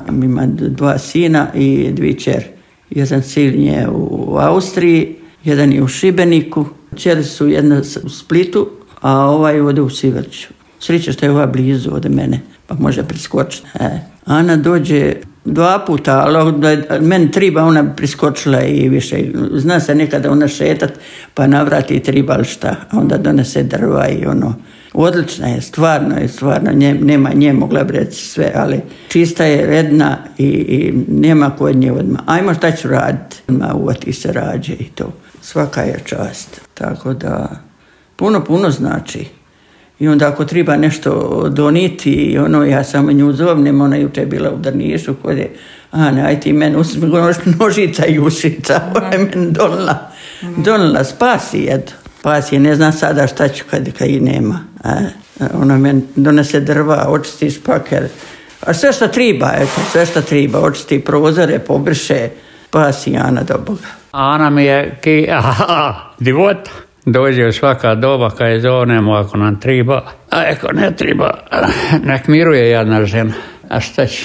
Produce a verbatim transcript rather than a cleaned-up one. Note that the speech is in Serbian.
Ima dva sina i dvije kćeri. Jedan sin je u Austriji, jedan je u Šibeniku. Kćeri su jedna u Splitu, a ovaj ode u Sivrću. Sreća što je ova blizu od mene, pa može priskočiti. E. Ana dođe dva puta, ali meni triba, ona priskočila i više. Zna se nekada ona šetat, pa navrati triba li šta. A onda donese drva i ono. Odlična je, stvarno je, stvarno. Nje, nema nje, mogla bi reći sve, ali čista je, redna i, i nema kod nje odmah. Ajmo šta ću raditi. Odmah uvati se rađe i to. Svaka je čast. Tako da, puno, puno znači. I onda ako treba nešto doniti, ono, ja samo nju zovnem, ona juče bila u Drnišu, kod je, a ne, aj ti meni uzmi nožica i ušica, ona je meni donila, donila, spasi jedu. Spasi je, ne znam sada šta ću kad, kad i nema. A, ona meni donese drva, očisti špaker, a sve što treba, eto, sve što treba, očisti prozore, pobriše, spasi Ana do Boga. Ana mi je ki, aha, divota. Dođe u svaka doba kad je zovnemo ako nam treba, a ako ne treba, nek miruje jedna žena. A šta će?